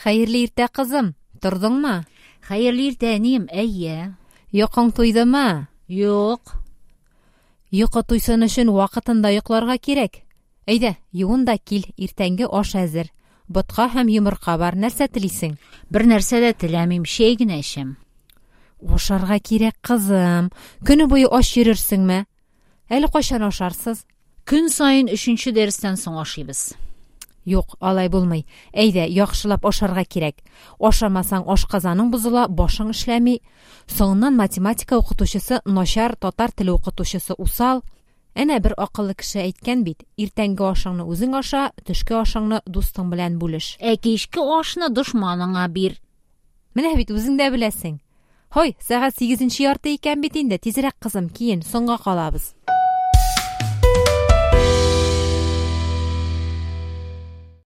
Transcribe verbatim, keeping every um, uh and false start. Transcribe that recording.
Хәерле иртә, кызым. Тордыңмы? Хәерле иртә, әнием. Әйе. Йокың туйдымы? Юк. Йокы туйсын өчен вакытында йокларга кирәк. Әйдә, юын да кил, иртәнге аш әзер. Ботка һәм йомырка бар. Нәрсә телисең? Бер нәрсә дә теләмим, чәй генә эчәм. Ашарга кирәк, кызым. Көне буе ач йөрерсеңме? Әле кайчан ашарсыз? Көн саен өченче дәрестән соң ашыйбыз. Юк, алай булмый. Әйдә, яхшылап ашарга кирәк. Ашамасаң, ашказаның бозыла, башың эшләми. Соңыннан математика укытучысы начар, татар теле укытучысы усал. Әнә бер акыллы кеше әйткән бит: иртәнге ашыңны үзең аша, төшке ашыңны дустың белән бүлеш. Ә кичке ашны дошманыңа бир. Менә бит үзең дә беләсең. Һой, сәгать сигезенче ярты икән бит инде. Тизрәк, кызым, киен, соңга калабыз.